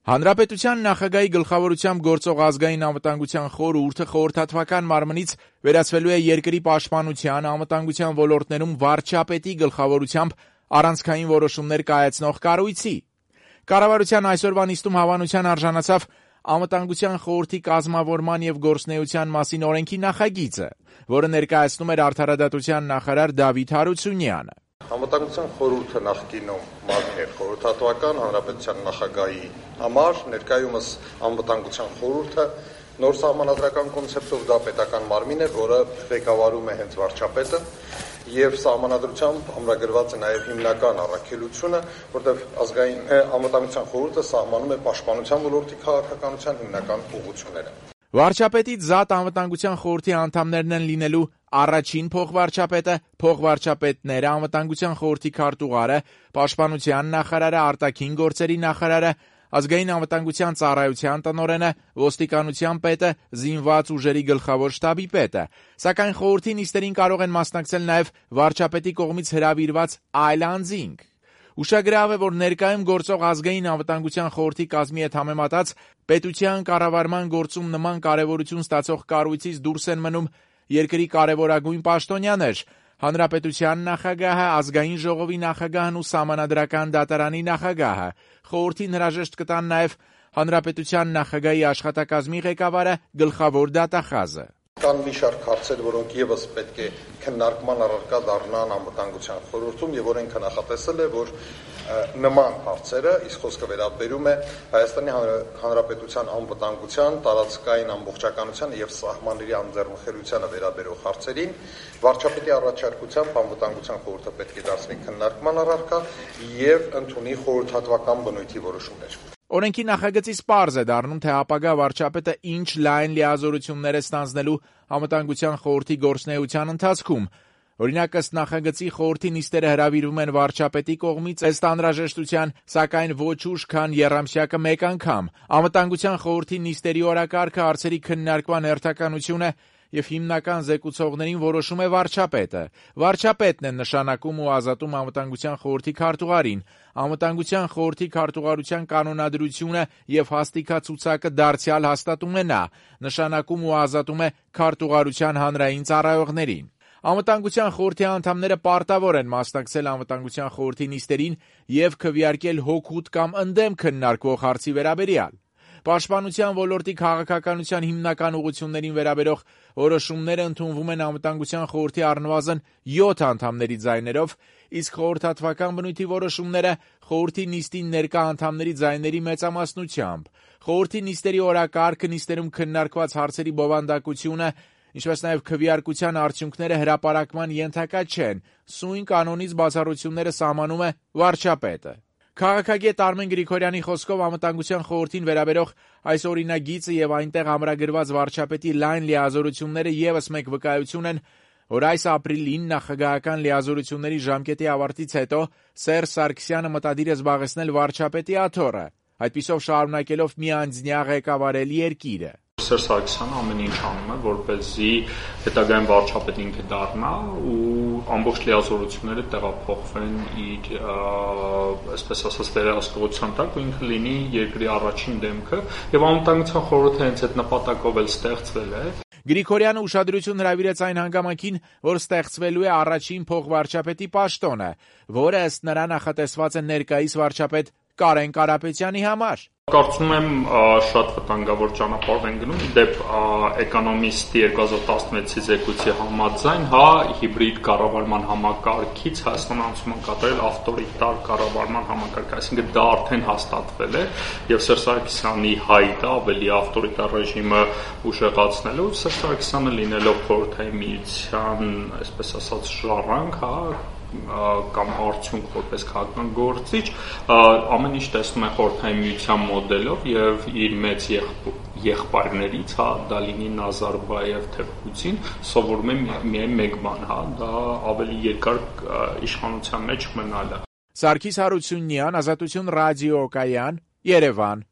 Հանրապետության նախագահի գլխավորությամբ գործող ազգային անվտանգության խորհուրդը խորհրդատվական մարմնից վերածվելու է երկրի պաշտպանության, անվտանգության ոլորտներում վարչապետի գլխավորությամբ առանցքային որոշումներ կայացնող կառույցի։ Կառավարության այսօրվա նիստում հավանության արժանացավ անվտանգության խորհրդի կազմավորման եւ գործունեության մասին օրենքի նախագիծը, որը ներկայացնում էր արդարադատության նախարար Դավիթ Հարությունյանը։ Անվտանգության խորհուրդը նախկինում մարմին էր խորհրդատվական, հանրապետության նախագահի համար, ներկայումս անվտանգության խորհուրդը նոր սահմանադրական կոնցեպտով դա պետական մարմին է, որը ղեկավարում է հենց վարչապետը, եւ սահմանադրությամբ ամրագրված է նաեւ հիմնական առաքելությունը, որտեղ ազգային անվտանգության խորհուրդը սահմանում է պաշտպանության ոլորտի քաղաքականության հիմնական ուղղությունները։ Վարչապետից զատ անվտանգության խորհրդի անդամներն են լինելու առաջին փոխվարչապետը, փոխվարչապետները, անվտանգության խորհրդի քարտուղարը, պաշտպանության նախարարը, արտաքին գործերի նախարարը, ազգային անվտանգության ծառայության տնօրենը, ոստիկանության պետը, զինված ուժերի գլխավոր շտաբի պետը։ Սակայն խորհրդի նիստերին կարող են մասնակցել նաև վարչապետի կողմից հրավիրված այլ անձինք։ Ուշագրավ է, որ ներկայում գործող ազգային անվտանգության խորհրդի կազմի հետ համեմատած պետության կառավարման գործում նման կարևորություն ստացող կառույցից դուրս են մնում երկրի կարևորագույն պաշտոնյաներ՝ հանրապետության նախագահը, ազգային ժողովի նախագահն ու սահմանադրական դատարանի նախագահը։ Խորհրդին հրաժեշտ կտան նաև հանրապետության նախագահի աշխատակազմի ղեկավարը, գլխավոր դատախազը։ Կան մի շարք հարցեր, որոնք եւս պետք է քննարկման առարկա դառնան անվտանգության խորհրդում, եւ օրենքը նախատեսել է, որ նման հարցերը, իսկ խոսքը վերաբերում է Հայաստանի Հանրապետության անվտանգության, տարածքային ամբողջականության եւ սահմանների անձեռնխելությանը վերաբերող հարցերին, վարչապետի առաջարկությամբ անվտանգության խորհուրդը պետք է դարձնի քննարկման առարկա եւ ընդունի խորհրդատվական բնույթի որոշումներ։ Օրենքի նախագծից պարզ է դառնում, թե ապագա վարչապետը ինչ լայն լիազորություններ է ստանձնելու անվտանգության խորհրդի գործունեության ընթացքում։ Օրինակ, ըստ նախագծի խորհրդի նիստերը հրավիրվում են վարչապետի կողմից ըստ անհրաժեշտության, սակայն ոչ ուշ, քան եռամսյակը մեկ անգամ։ Անվտանգության խորհրդի նիստերի օրակարգը, հարցերի քննարկման հերթականությունը եւ հիմնական զեկուցողներին որոշում է վարչապետը։ Վարչապետն է նշանակում ու ազատում անվտանգության խորհրդի քարտուղարին։ Անվտանգության խորհրդի քարտուղարության կանոնադրությունը եւ հաստիքացուցակը դարձյալ հաստատում է նա, նշանակում ու ազատում է քարտուղարության հանրային ծառայողներին։ Անվտանգության խորհրդի անդամները պարտավոր են մասնակցել անվտանգության խորհրդի նիստերին եւ քվեարկել հօգուտ կամ ընդդեմ քննարկվող հարցի վերաբերյալ։ Պաշտպանության ոլորտի քաղաքականության հիմնական ուղղություններին վերաբերող որոշումները ընդունվում են անվտանգության խորհրդի առնվազն 7 անդամների ձայներով, իսկ խորհրդատվական բնույթի որոշումները խորհրդի նիստին ներկա անդամների ձայների մեծամասնությամբ։ Խորհրդի նիստերի օրակարգը, նիստերում քննարկված հարցերի բովանդակությունը, ինչպես նաև քվեարկության արդյունքները հրապարակման ենթակա չեն։ Սույն կանոնից բացառությունները սահմանում է վարչապետը։ Քաղաքագետ Արմեն Գրիգորյանի խոսքով անվտանգության խորհրդին վերաբերող այս օրինագիծը եւ այնտեղ ամրագրված վարչապետի լայն լիազորությունները եւս մեկ վկայություն են, որ այս ապրիլին նախագահական լիազորությունների ժամկետի ավարտից հետո Սերժ Սարգսյանը մտադիր է զբաղեցնել վարչապետի աթոռը, այդպիսով շարունակելով միանձնյա ղեկավարել երկիրը։ Սերժ Սարգսյանը ամեն ինչ անում է, որպեսզի հետագայում վարչապետ ինքը դառնա ու ամբողջ լիազորությունները տեղափոխվեն իր, այսպես ասած, վերահսկողության տակ ու ինքը լինի երկրի առաջին դեմքը եւ անվտանգության խորհուրդը հենց այդ նպատակով էլ ստեղծվել է։ Գրիգորյանը ուշադրություն հրավիրեց այն հանգամանքին, որ ստեղծվելու է առաջին փոխվարչապետի պաշտոնը, որը ըստ նրա նախատեսված է ներկայիս վարչապետ Կարեն Կարապետյանի համար։ Կարծում եմ շատ վտանգավոր ճանապարհ են գնում, դեպ Էկոնոմիստի 2016-ի զեկույցի համաձայն, հիբրիդ կառավարման համակարգից Հայաստանը անցում է կատարել ավտորիտար կառավարման համակարգ, այսինքն դա արդեն հաստատվել է եւ Սերժ Սարգսյանի հայտը ավելի ավտորիտար ռեժիմը ուժեղացնելու, Սերժ Սարգսյանը լինելով խորհրդային միության, այսպես ասած, ժառանգ, կամ արդյունք որպես քաղաքական գործիչ, ամեն ինչ տեսնում է խորհրդային միության մոդելով եւ իր մեծ եղբայրներից, դա լինի Նազարբաև թե Պուտին, սովորում է միայն մեկ բան, դա ավելի երկար իշխանության մեջ մնալը։ Սարգիս Հարությունյան, Ազատություն ռադիոկայան, Երևան։